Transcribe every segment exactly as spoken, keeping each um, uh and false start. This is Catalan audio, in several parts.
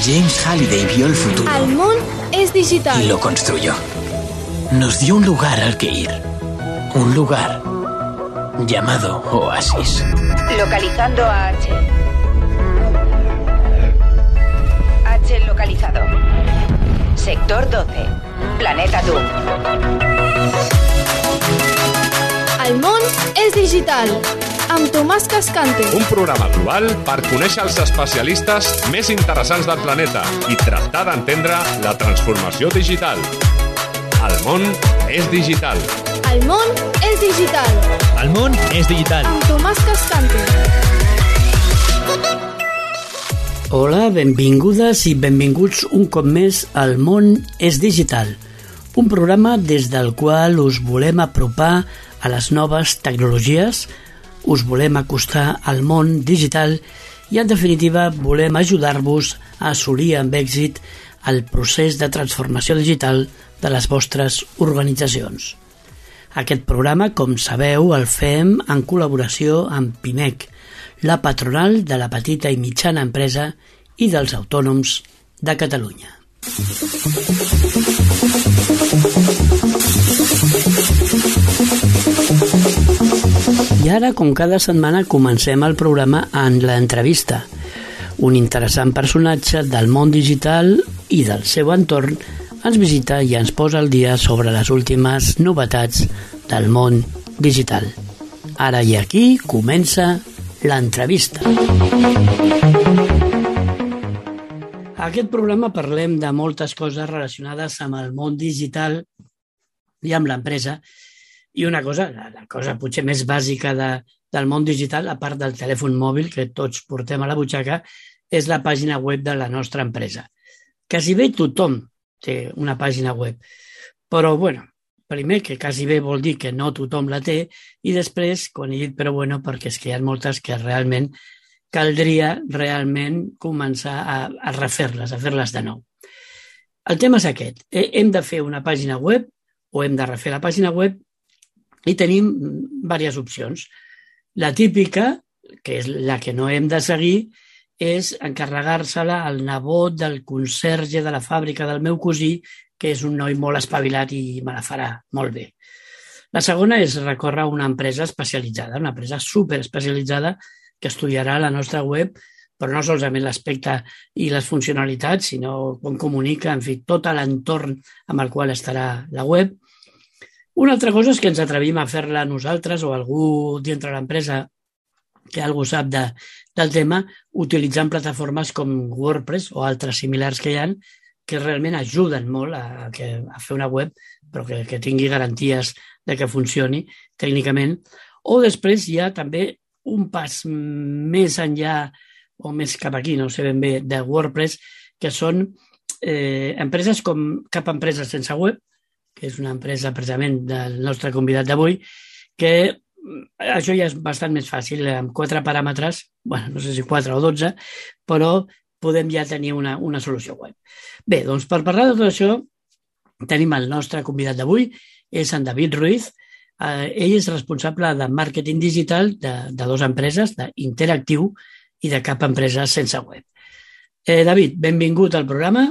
James Halliday vio el futuro. El món es digital. Y lo construyó. Nos dio un lugar al que ir. Un lugar llamado Oasis. Localizando a H. H localizado. Sector doce. Planeta Doom. El món és digital. Amb Tomàs Cascante. Un programa global per conèixer els especialistes més interessants del planeta i tractar d'entendre la transformació digital. El món és digital. El món és digital. El món és digital. Amb Tomàs Cascante. Hola, benvingudes i benvinguts un cop més al món és digital. Un programa des del qual us volem apropar a les noves tecnologies, us volem acostar al món digital i, en definitiva, volem ajudar-vos a assolir amb èxit el procés de transformació digital de les vostres organitzacions. Aquest programa, com sabeu, el fem en col·laboració amb Pimec, la patronal de la petita i mitjana empresa i dels autònoms de Catalunya. I ara, com cada setmana, comencem el programa en l'entrevista. Un interessant personatge del món digital i del seu entorn ens visita i ens posa al dia sobre les últimes novetats del món digital. Ara i aquí comença l'entrevista. A aquest programa parlem de moltes coses relacionades amb el món digital i amb l'empresa. I una cosa, la, la cosa potser més bàsica de, del món digital, a part del telèfon mòbil que tots portem a la butxaca, és la pàgina web de la nostra empresa. Quasi bé tothom té una pàgina web, però, bueno, primer que quasi bé vol dir que no tothom la té, i després, quan he dit però bueno, perquè és que hi ha moltes que realment caldria realment començar a, a refer-les, a fer-les de nou. El tema és aquest. Hem de fer una pàgina web o hem de refer la pàgina web i tenim diverses opcions. La típica, que és la que no hem de seguir, és encarregar-se-la al nebot del conserge de la fàbrica del meu cosí, que és un noi molt espavilat i me la farà molt bé. La segona és recórrer a una empresa especialitzada, una empresa superespecialitzada que estudiarà la nostra web, però no solament l'aspecte i les funcionalitats, sinó com comunica, en fi, tot l'entorn amb el qual estarà la web. Una altra cosa és que ens atrevim a fer-la nosaltres o algú dintre l'empresa que algú sap de, del tema, utilitzant plataformes com WordPress o altres similars que hi ha, que realment ajuden molt a, a, a fer una web, però que, que tingui garanties de que funcioni tècnicament. O després hi ha també un pas més enllà o més cap aquí, no sé ben bé, de WordPress, que són eh, empreses com Cap Empresa Sense Web, que és una empresa precisament del nostre convidat d'avui, que això ja és bastant més fàcil, amb quatre paràmetres, bueno, no sé si quatre o dotze, però podem ja tenir una, una solució web. Bé, doncs per parlar de tot això, tenim el nostre convidat d'avui, és en David Ruiz. Eh, ell és responsable de màrqueting digital de, de dues empreses, d'Interactiu i de Cap Empresa Sense Web. Eh, David, benvingut al programa.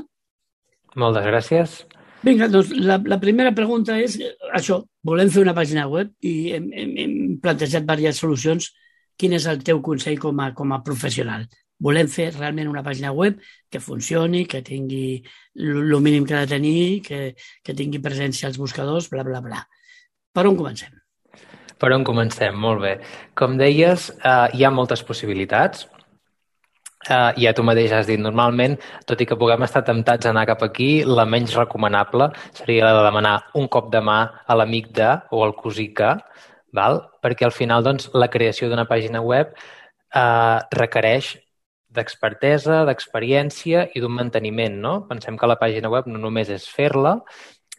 Moltes gràcies. Vinga, doncs la, la primera pregunta és això, volem fer una pàgina web i hem, hem, hem plantejat diverses solucions. Quin és el teu consell com a, com a professional? Volem fer realment una pàgina web que funcioni, que tingui el mínim que ha de tenir, que, que tingui presència als buscadors, bla, bla, bla. Per on comencem? Per on comencem? Molt bé. Com deies, eh, hi ha moltes possibilitats. Uh, ja tu mateix has dit, normalment, tot i que puguem estar temptats a anar cap aquí, la menys recomanable seria la de demanar un cop de mà a l'amic de o al cosí que, val? Perquè al final doncs, la creació d'una pàgina web uh, requereix d'expertesa, d'experiència i d'un manteniment, no? Pensem que la pàgina web no només és fer-la,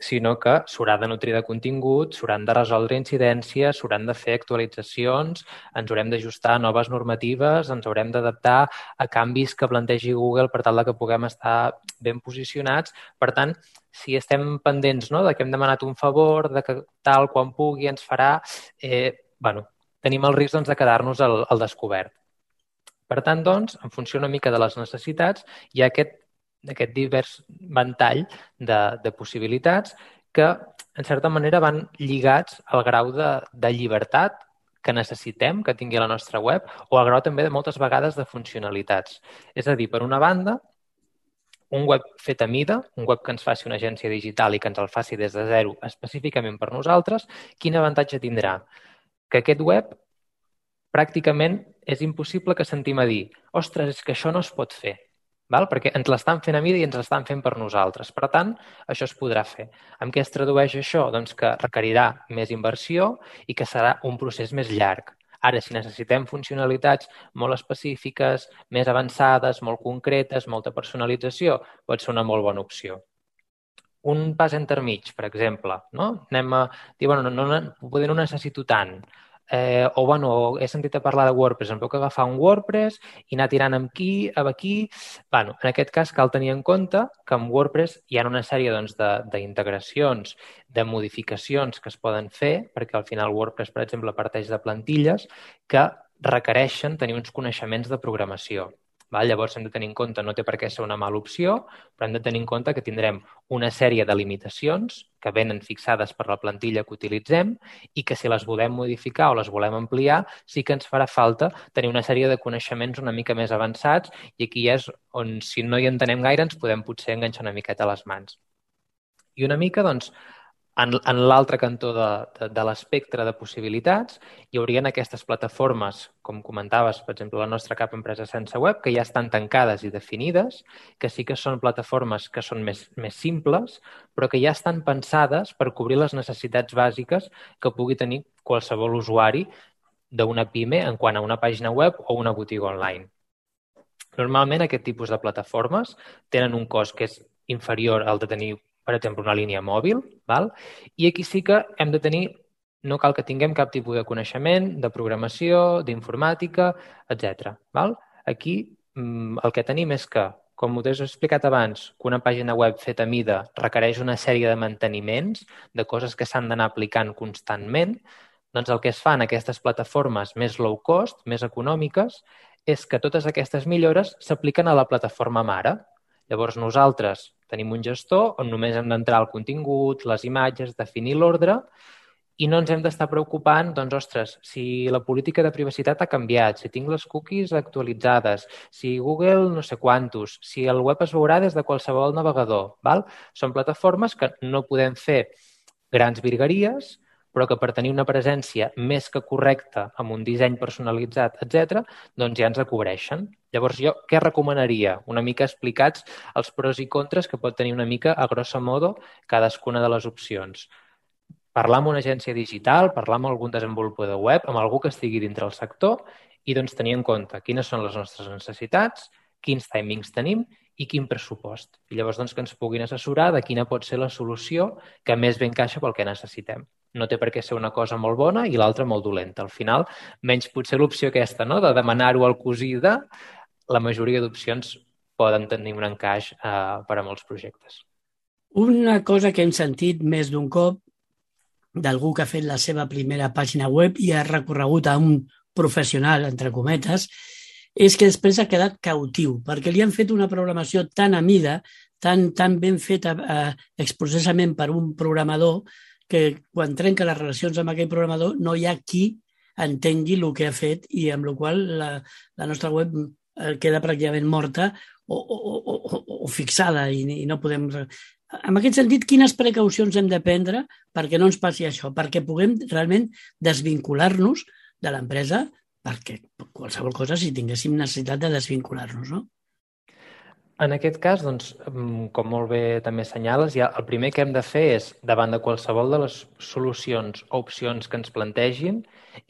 sinó que s'haurà de nutrir de contingut, s'hauran de resoldre incidències, s'hauran de fer actualitzacions, ens haurem d'ajustar a noves normatives, ens haurem d'adaptar a canvis que plantegi Google per tal que puguem estar ben posicionats. Per tant, si estem pendents, no?, de que hem demanat un favor, de que tal, quan pugui, ens farà, eh, bueno, tenim el risc doncs, de quedar-nos al, al descobert. Per tant, doncs, en funció una mica de les necessitats, hi ha aquest aquest divers ventall de, de possibilitats que, en certa manera, van lligats al grau de, de llibertat que necessitem que tingui la nostra web o al grau també de moltes vegades de funcionalitats. És a dir, per una banda, un web fet a mida, un web que ens faci una agència digital i que ens el faci des de zero específicament per nosaltres, quin avantatge tindrà? Que aquest web pràcticament és impossible que sentim a dir ostres, és que això no es pot fer, val? Perquè ens l'estan fent a mida i ens l'estan fent per nosaltres. Per tant, això es podrà fer. En què es tradueix això? Doncs que requerirà més inversió i que serà un procés més llarg. Ara, si necessitem funcionalitats molt específiques, més avançades, molt concretes, molta personalització, pot ser una molt bona opció. Un pas intermig, per exemple, no? Anem a dir, bueno, no, no, poder no necessito tant. Eh, o, bueno, he sentit a parlar de WordPress, em puc agafar un WordPress i anar tirant amb aquí, amb aquí... Bueno, en aquest cas cal tenir en compte que amb WordPress hi ha una sèrie doncs, d'integracions, de, de modificacions que es poden fer, perquè al final WordPress, per exemple, parteix de plantilles que requereixen tenir uns coneixements de programació. Val? Llavors hem de tenir en compte, no té per què ser una mala opció, però hem de tenir en compte que tindrem una sèrie de limitacions que venen fixades per la plantilla que utilitzem i que si les volem modificar o les volem ampliar, sí que ens farà falta tenir una sèrie de coneixements una mica més avançats i aquí és on, si no hi entenem gaire, ens podem potser enganxar una miqueta a les mans. I una mica, doncs, en, en l'altre cantó de, de, de l'espectre de possibilitats hi haurien aquestes plataformes, com comentaves, per exemple, la nostra cap empresa sense web, que ja estan tancades i definides, que sí que són plataformes que són més, més simples, però que ja estan pensades per cobrir les necessitats bàsiques que pugui tenir qualsevol usuari d'una pime en quant a una pàgina web o una botiga online. Normalment aquest tipus de plataformes tenen un cost que és inferior al de tenir, per exemple, una línia mòbil, val? I aquí sí que hem de tenir, no cal que tinguem cap tipus de coneixement, de programació, d'informàtica, etcètera. Val? Aquí el que tenim és que, com us he explicat abans, que una pàgina web feta a mida requereix una sèrie de manteniments, de coses que s'han d'anar aplicant constantment, doncs el que es fa en aquestes plataformes més low cost, més econòmiques, és que totes aquestes millores s'apliquen a la plataforma mare. Llavors nosaltres tenim un gestor on només hem d'entrar al contingut, les imatges, definir l'ordre i no ens hem d'estar preocupant, doncs, ostres, si la política de privacitat ha canviat, si tinc les cookies actualitzades, si Google no sé quantos, si el web es veurà des de qualsevol navegador. Val? Són plataformes que no podem fer grans virgueries, però que per tenir una presència més que correcta, amb un disseny personalitzat, etcètera, doncs ja ens cobreixen. Llavors, jo què recomanaria? Una mica explicats els pros i contres que pot tenir una mica, a grosso modo, cadascuna de les opcions. Parlar amb una agència digital, parlar amb algun desenvolupador web, amb algú que estigui dintre el sector i doncs tenir en compte quines són les nostres necessitats, quins timings tenim i quin pressupost. I llavors doncs, que ens puguin assessorar de quina pot ser la solució que més bé encaixa pel que necessitem. No té per què ser una cosa molt bona i l'altra molt dolenta. Al final, menys potser l'opció aquesta, no?, de demanar-ho al cosí de, la majoria d'opcions poden tenir un encaix eh, per a molts projectes. Una cosa que hem sentit més d'un cop d'algú que ha fet la seva primera pàgina web i ha recorregut a un professional, entre cometes, és que després ha quedat cautiu, perquè li han fet una programació tan a mida, tan, tan ben feta eh, expressament per un programador, que quan trenca les relacions amb aquell programador no hi ha qui entengui el que ha fet i amb la qual la, la nostra web queda pràcticament morta o, o, o, o, o fixada i, i no podem... En aquest sentit, quines precaucions hem de prendre perquè no ens passi això, perquè puguem realment desvincular-nos de l'empresa, perquè qualsevol cosa si tinguéssim necessitat de desvincular-nos, no? En aquest cas, doncs, com molt bé també assenyales, ja el primer que hem de fer és, davant de qualsevol de les solucions o opcions que ens plantegin,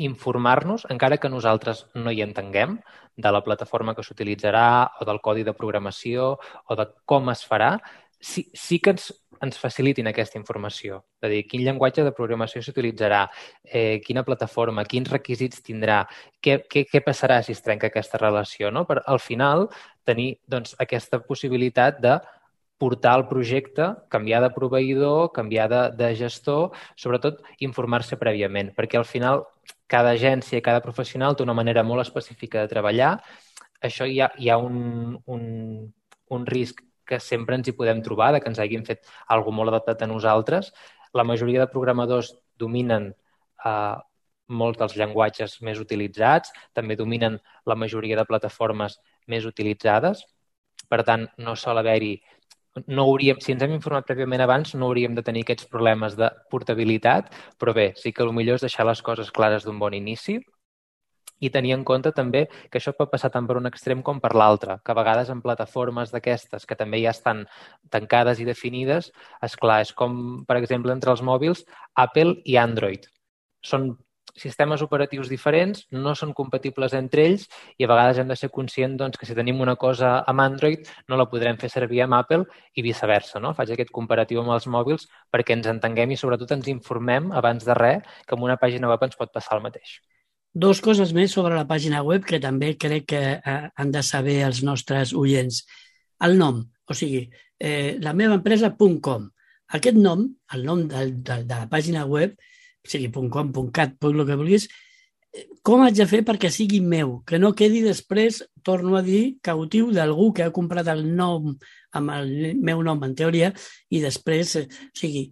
informar-nos, encara que nosaltres no hi entenguem, de la plataforma que s'utilitzarà o del codi de programació o de com es farà, sí, sí que ens, ens facilitin aquesta informació. És a dir, quin llenguatge de programació s'utilitzarà, eh, quina plataforma, quins requisits tindrà, què, què, què passarà si es trenca aquesta relació, no? Per, al final, tenir doncs, aquesta possibilitat de portar el projecte, canviar de proveïdor, canviar de, de gestor, sobretot informar-se prèviament, perquè al final cada agència i cada professional té una manera molt específica de treballar. Això hi ha, hi ha un, un, un risc que sempre ens hi podem trobar, de que ens hagin fet alguna molt adaptat a nosaltres. La majoria de programadors dominen eh, molts dels llenguatges més utilitzats, també dominen la majoria de plataformes més utilitzades. Per tant, no sol haver-hi... No hauríem, si ens hem informat prèviament abans, no hauríem de tenir aquests problemes de portabilitat, però bé, sí que el millor és deixar les coses clares d'un bon inici i tenir en compte també que això pot passar tant per un extrem com per l'altre, que a vegades en plataformes d'aquestes que també ja estan tancades i definides, esclar, és com, per exemple, entre els mòbils, Apple i Android. Són sistemes operatius diferents, no són compatibles entre ells i a vegades hem de ser conscients doncs, que si tenim una cosa amb Android no la podrem fer servir amb Apple i viceversa. No? Faig aquest comparatiu amb els mòbils perquè ens entenguem i sobretot ens informem abans de res que amb una pàgina web ens pot passar el mateix. Dos coses més sobre la pàgina web que també crec que eh, han de saber els nostres oients. El nom, o sigui, eh, la meva empresa punt com. Aquest nom, el nom de, de, de la pàgina web, sigui .com, .cat, el que vulguis, com haig de fer perquè sigui meu? Que no quedi després, torno a dir, cautiu d'algú que ha comprat el nom amb el meu nom, en teoria, i després, o sigui,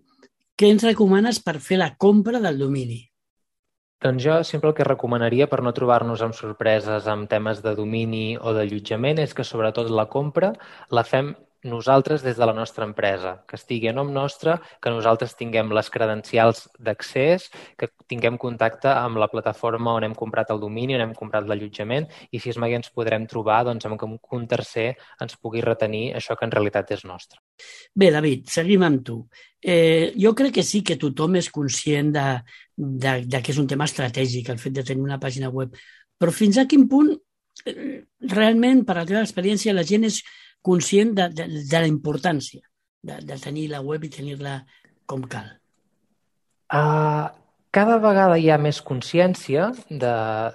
què ens recomanes per fer la compra del domini? Doncs jo sempre el que recomanaria per no trobar-nos amb sorpreses amb temes de domini o d'allotjament és que sobretot la compra la fem nosaltres des de la nostra empresa, que estigui a nom nostre, que nosaltres tinguem les credencials d'accés, que tinguem contacte amb la plataforma on hem comprat el domini, on hem comprat l'allotjament i si és mai ens podrem trobar doncs, amb que un tercer ens pugui retenir això que en realitat és nostre. Bé, David, seguim amb tu. Eh, jo crec que sí que tothom és conscient de, de, de que és un tema estratègic el fet de tenir una pàgina web, però fins a quin punt eh, realment, per la teva experiència, la gent és conscient de, de, de la importància de, de tenir la web i tenir-la com cal? Uh, cada vegada hi ha més consciència de,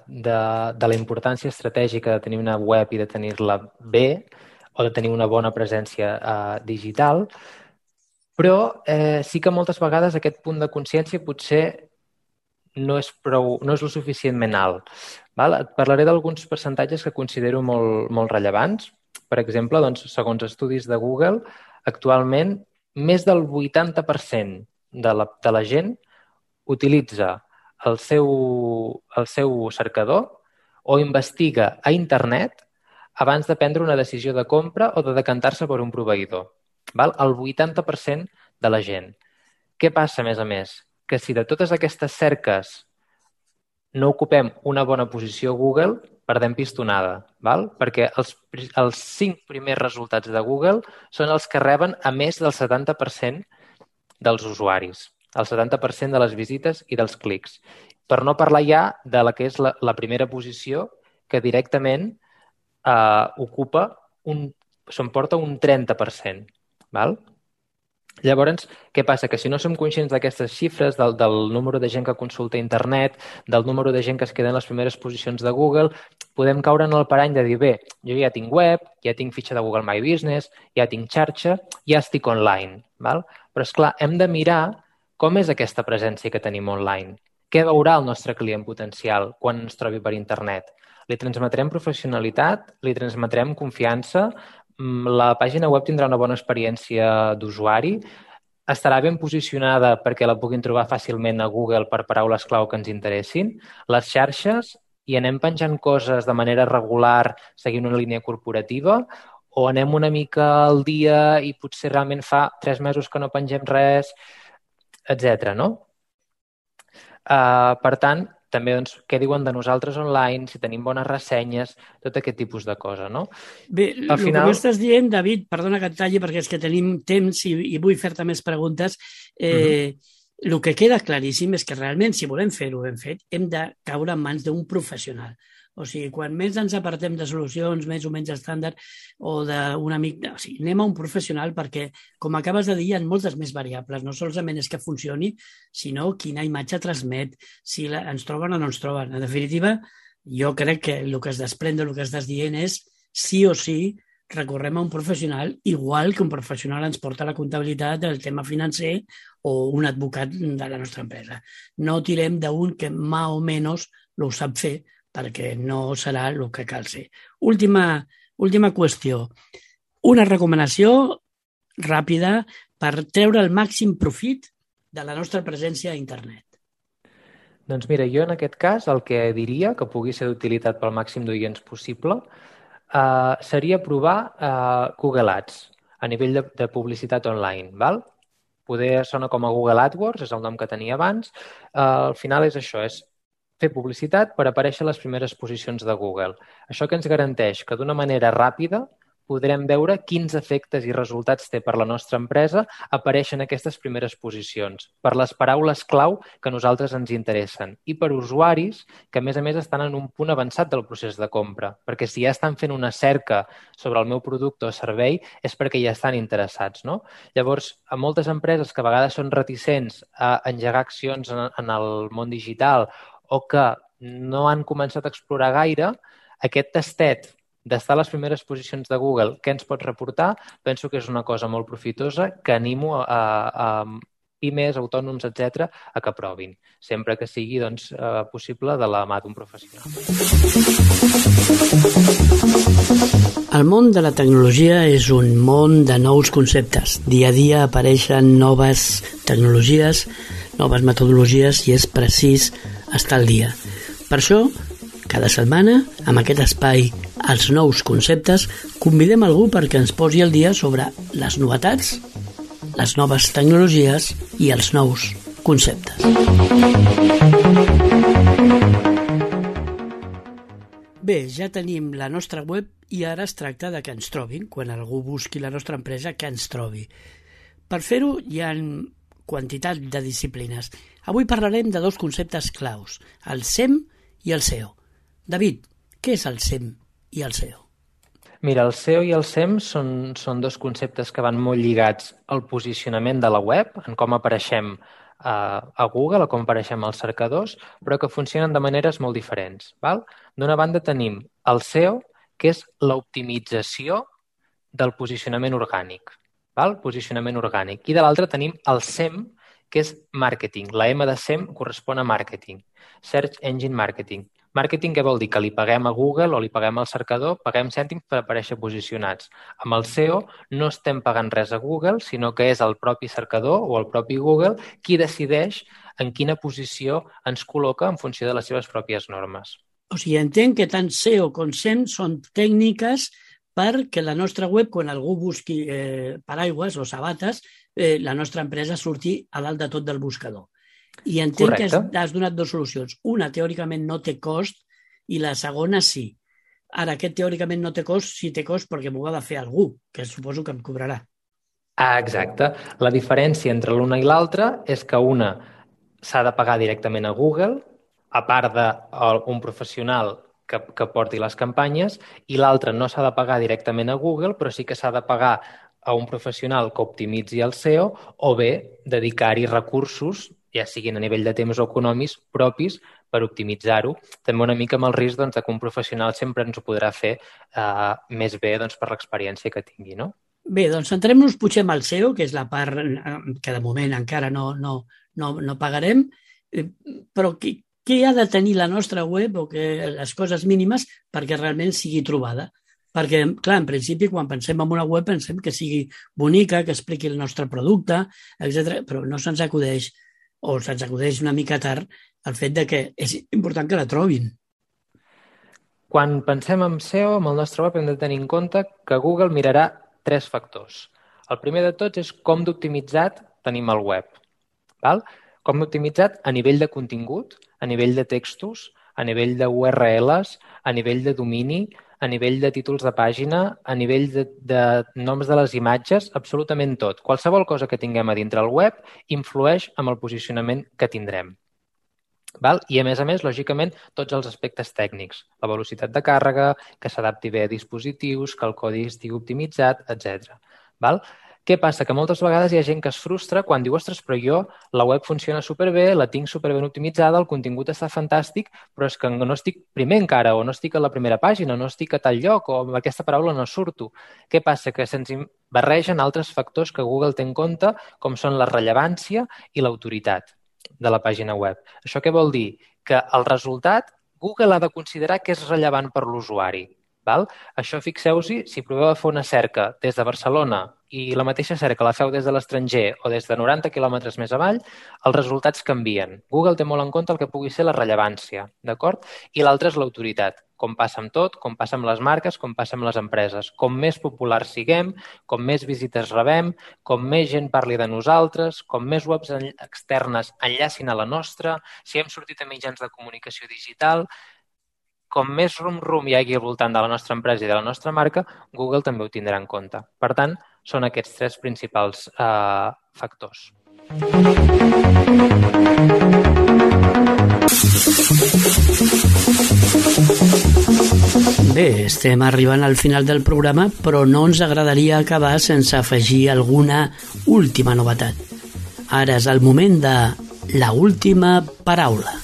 de, de la importància estratègica de tenir una web i de tenir-la bé o de tenir una bona presència uh, digital, però eh, sí que moltes vegades aquest punt de consciència potser no és, prou, no és lo suficientment alt. Val? Et parlaré d'alguns percentatges que considero molt, molt rellevants. Per exemple, doncs, segons estudis de Google, actualment més del vuitanta per cent de la, de la gent utilitza el seu, el seu cercador o investiga a internet abans de prendre una decisió de compra o de decantar-se per un proveïdor. Val? El vuitanta per cent de la gent. Què passa, a més a més? Que si de totes aquestes cerques no ocupem una bona posició a Google, perdem pistonada, val? Perquè els, els cinc primers resultats de Google són els que reben a més del setanta per cent dels usuaris, el setanta per cent de les visites i dels clics. Per no parlar ja de la que és la, la primera posició, que directament eh, ocupa un, s'emporta un trenta per cent. Val? Llavors, què passa? Que si no som conscients d'aquestes xifres, del, del número de gent que consulta internet, del número de gent que es queda en les primeres posicions de Google, podem caure en el parany de dir, bé, jo ja tinc web, ja tinc fitxa de Google My Business, ja tinc xarxa, ja estic online. Val? Però, esclar, hem de mirar com és aquesta presència que tenim online. Què veurà el nostre client potencial quan ens trobi per internet? Li transmetrem professionalitat, li transmetrem confiança, la pàgina web tindrà una bona experiència d'usuari, estarà ben posicionada perquè la puguin trobar fàcilment a Google per paraules clau que ens interessin, les xarxes, i anem penjant coses de manera regular seguint una línia corporativa o anem una mica al dia i potser realment fa tres mesos que no pengem res, etcètera. No? Uh, per tant, també doncs, què diuen de nosaltres online, si tenim bones ressenyes, tot aquest tipus de cosa, no? Bé, Al el final... que m'estàs dient, David, perdona que et talli perquè és que tenim temps i, i vull fer-te més preguntes, eh, uh-huh. El que queda claríssim és que realment, si volem fer-ho ben fet, hem de caure en mans d'un professional. O sigui, quan més ens apartem de solucions més o menys estàndard o d'un amic... O sigui, anem a un professional perquè, com acabes de dir, hi ha moltes més variables. No solament és que funcioni, sinó quina imatge transmet, si la, ens troben o no ens troben. En definitiva, jo crec que el que es desprèn del que estàs dient és sí o sí recorrem a un professional, igual que un professional ens porta la comptabilitat del tema financer o un advocat de la nostra empresa. No tirem d'un que més o menys ho sap fer, perquè no serà el que cal ser. Última, última qüestió. una recomanació ràpida per treure el màxim profit de la nostra presència a internet. Doncs mira, jo en aquest cas el que diria que pugui ser d'utilitat pel màxim d'oients possible eh, seria provar eh, Google Ads a nivell de, de publicitat online, val? Poder sona com a Google AdWords, és el nom que tenia abans. Eh, al final és això, és fer publicitat per aparèixer a les primeres posicions de Google. Això que ens garanteix que d'una manera ràpida podrem veure quins efectes i resultats té per la nostra empresa aparèixer en aquestes primeres posicions, per les paraules clau que a nosaltres ens interessen i per usuaris que, a més a més, estan en un punt avançat del procés de compra, perquè si ja estan fent una cerca sobre el meu producte o servei és perquè ja estan interessats, no? Llavors, a moltes empreses que a vegades són reticents a engegar accions en, en el món digital o que no han començat a explorar gaire, aquest tastet d'estar a les primeres posicions de Google, què ens pot reportar? Penso que és una cosa molt profitosa que animo a, a pimes, autònoms, etcètera, a que provin, sempre que sigui doncs, possible de la mà d'un professional. El món de la tecnologia és un món de nous conceptes. Dia a dia apareixen noves tecnologies, noves metodologies i és precís estar al dia. Per això, cada setmana, amb aquest espai Els nous conceptes, convidem algú perquè ens posi al dia sobre les novetats, les noves tecnologies i els nous conceptes. Bé, ja tenim la nostra web i ara es tracta de que ens trobin, quan algú busqui la nostra empresa, que ens trobi. Per fer-ho hi ha quantitat de disciplines. Avui parlarem de dos conceptes claus, el S E M i el S E O. David, què és el S E M i el S E O? Mira, el S E O i el S E M són, són dos conceptes que van molt lligats al posicionament de la web, en com apareixem a, a Google o com apareixem als cercadors, però que funcionen de maneres molt diferents. Val? D'una banda tenim el S E O, que és l'optimització del posicionament orgànic. Val? Posicionament orgànic. I de l'altra tenim el S E M, que és marketing. La M de S E M correspon a marketing. Search Engine Marketing. Marketing què vol dir? Que li paguem a Google o li paguem al cercador, paguem cèntims per aparèixer posicionats. Amb el S E O no estem pagant res a Google, sinó que és el propi cercador o el propi Google qui decideix en quina posició ens col·loca en funció de les seves pròpies normes. O sigui, entenc que tant S E O com S E M són tècniques perquè la nostra web, quan algú busqui eh, paraigües o sabates, eh, la nostra empresa surti a dalt de tot del buscador. I entenc Correcte. que has, has donat dues solucions. Una, teòricament, no té cost, i la segona, sí. Ara, aquest teòricament no té cost, sí té cost perquè m'ho ha de fer algú, que suposo que em cobrarà. Ah, exacte. La diferència entre l'una i l'altra és que una s'ha de pagar directament a Google, a part d'un professional que, que porti les campanyes, i l'altra no s'ha de pagar directament a Google, però sí que s'ha de pagar a un professional que optimitzi el S E O o bé dedicar-hi recursos, ja siguin a nivell de temps o econòmics propis, per optimitzar-ho. També una mica amb el risc doncs, que un professional sempre ens ho podrà fer eh, més bé doncs, per l'experiència que tingui, no? Bé, doncs centrem-nos potser en el S E O, que és la part que de moment encara no, no, no, no pagarem, però què, què ha de tenir la nostra web o que, les coses mínimes perquè realment sigui trobada? Perquè, clar, en principi, quan pensem en una web, pensem que sigui bonica, que expliqui el nostre producte, etcètera, però no se'ns acudeix o se'ns acudeix una mica tard el fet de que és important que la trobin. Quan pensem en S E O, amb el nostre web hem de tenir en compte que Google mirarà tres factors. El primer de tots és com d'optimitzat tenim el web. Val? Com d'optimitzat a nivell de contingut, a nivell de textos, a nivell de U R Ls, a nivell de domini, a nivell de títols de pàgina, a nivell de, de noms de les imatges, absolutament tot. Qualsevol cosa que tinguem a dintre el web influeix en el posicionament que tindrem. Val? I, a més a més, lògicament, tots els aspectes tècnics. La velocitat de càrrega, que s'adapti bé a dispositius, que el codi estigui optimitzat, etcètera. Val? Què passa? Que moltes vegades hi ha gent que es frustra quan diu ostres, però jo la web funciona superbé, la tinc superben optimitzada, el contingut està fantàstic, però és que no estic primer encara, o no estic a la primera pàgina, no estic a tal lloc, o amb aquesta paraula no surto. Què passa? Que se'ns barregen altres factors que Google té en compte, com són la rellevància i l'autoritat de la pàgina web. Això què vol dir? Que el resultat Google ha de considerar que és rellevant per l'usuari. Val? Això fixeu-s'hi, si proveu a fer una cerca des de Barcelona i la mateixa cerca la feu des de l'estranger o des de noranta quilòmetres més avall, els resultats canvien. Google té molt en compte el que pugui ser la rellevància, d'acord? I l'altre és l'autoritat, com passa amb tot, com passa amb les marques, com passa amb les empreses. Com més populars siguem, com més visites rebem, com més gent parli de nosaltres, com més webs externes enllacin a la nostra, si hem sortit a mitjans de comunicació digital, com més rum-rum hi hagi al voltant de la nostra empresa i de la nostra marca, Google també ho tindrà en compte. Per tant, són aquests tres principals eh, factors. Bé, estem arribant al final del programa, però no ens agradaria acabar sense afegir alguna última novetat. Ara és el moment de la última paraula.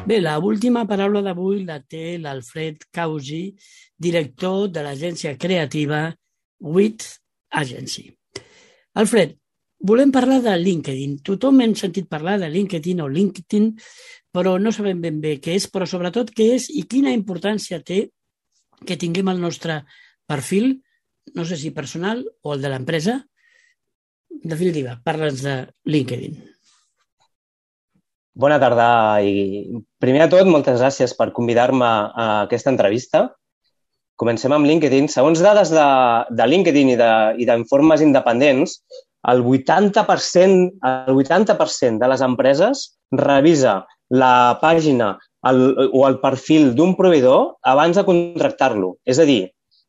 Bé, la última paraula d'avui la té l'Alfred Causi, director de l'agència creativa With Agency. Alfred, volem parlar de LinkedIn. Tothom hem sentit parlar de LinkedIn o LinkedIn, però no sabem ben bé què és, però sobretot què és i quina importància té que tinguem el nostre perfil, no sé si personal o el de l'empresa. En definitiva, parla'ns de LinkedIn. Bona tarda i primer de tot, moltes gràcies per convidar-me a aquesta entrevista. Comencem amb LinkedIn. Segons dades de, de LinkedIn i, de, i d'informes independents, el vuitanta per cent, el vuitanta per cent de les empreses revisa la pàgina el, o el perfil d'un proveïdor abans de contractar-lo. És a dir,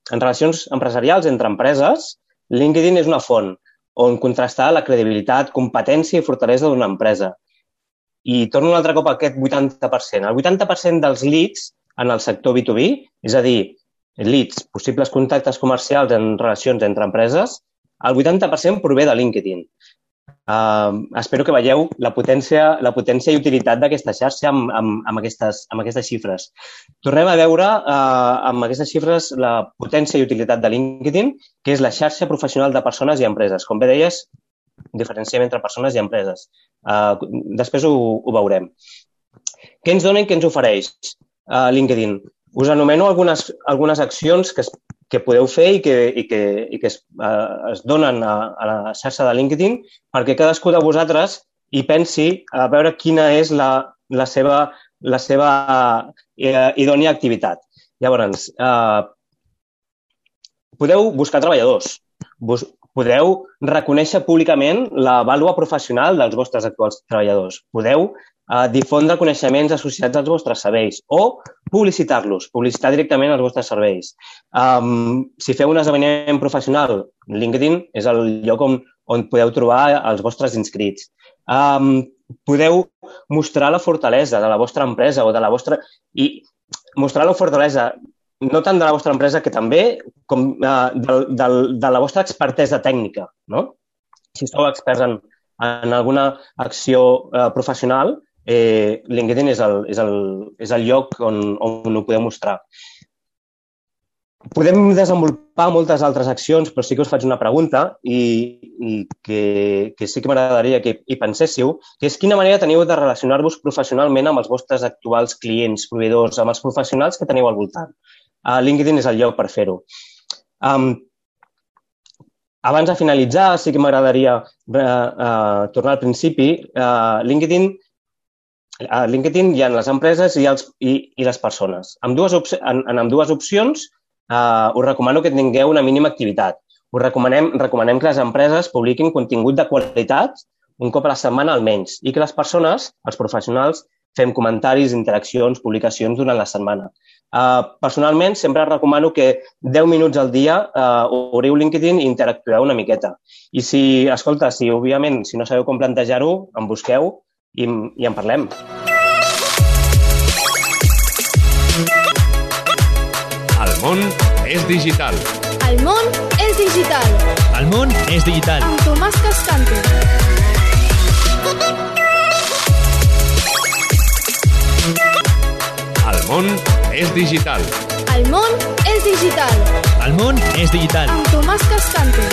en relacions empresarials entre empreses, LinkedIn és una font on contrastar la credibilitat, competència i fortalesa d'una empresa. I torno un altre cop a aquest vuitanta per cent. El vuitanta per cent dels leads en el sector B dos B, és a dir, leads, possibles contactes comercials en relacions entre empreses, el vuitanta per cent prové de LinkedIn. Uh, espero que veieu la potència, la potència i utilitat d'aquesta xarxa amb, amb, amb, aquestes, amb aquestes xifres. Tornem a veure uh, amb aquestes xifres la potència i utilitat de LinkedIn, que és la xarxa professional de persones i empreses. Com bé deies, diferenciem entre persones i empreses. Uh, després ho, ho veurem. Què ens dona i què ens ofereix uh, LinkedIn? Us anomeno algunes, algunes accions que, es, que podeu fer i que, i que, i que es, uh, es donen a, a la xarxa de LinkedIn perquè cadascú de vosaltres hi pensi a veure quina és la, la seva, la seva uh, idònia activitat. Llavors, uh, podeu buscar treballadors, Bus podeu reconèixer públicament la vàlua professional dels vostres actuals treballadors. Podeu eh, difondre coneixements associats als vostres serveis o publicitar-los, publicitar directament els vostres serveis. Um, si feu un esdeveniment professional, LinkedIn és el lloc on, on podeu trobar els vostres inscrits. Um, podeu mostrar la fortalesa de la vostra empresa o de la vostra... I mostrar la fortalesa no tant de la vostra empresa, que també com uh, de, de, de la vostra expertesa tècnica, no? Si esteu experts en, en alguna acció uh, professional, eh, LinkedIn és el, és el, és el lloc on, on ho podeu mostrar. Podem desenvolupar moltes altres accions, però sí que us faig una pregunta i, i que, que sí que m'agradaria que hi penséssiu, que és quina manera teniu de relacionar-vos professionalment amb els vostres actuals clients, proveïdors, amb els professionals que teniu al voltant. Uh, LinkedIn és el lloc per fer-ho. Um, abans de finalitzar, sí que m'agradaria uh, uh, tornar al principi. Uh, LinkedIn, uh, LinkedIn hi ha les empreses i, els, i, i les persones. Amb dues en, en amb dues opcions uh, us recomano que tingueu una mínima activitat. Us recomanem, recomanem que les empreses publiquin contingut de qualitat un cop a la setmana almenys i que les persones, els professionals, fem comentaris, interaccions, publicacions durant la setmana. Uh, personalment, sempre recomano que deu minuts al dia uh, obriu LinkedIn i interactueu una miqueta. I si, escolta, si òbviament, si no sabeu com plantejar-ho, em busqueu i, i en parlem. El món és digital. El món és digital. El món és digital. Amb Tomàs Cascante. El món és digital. El món és digital. El món és digital. Amb Tomàs Cascante.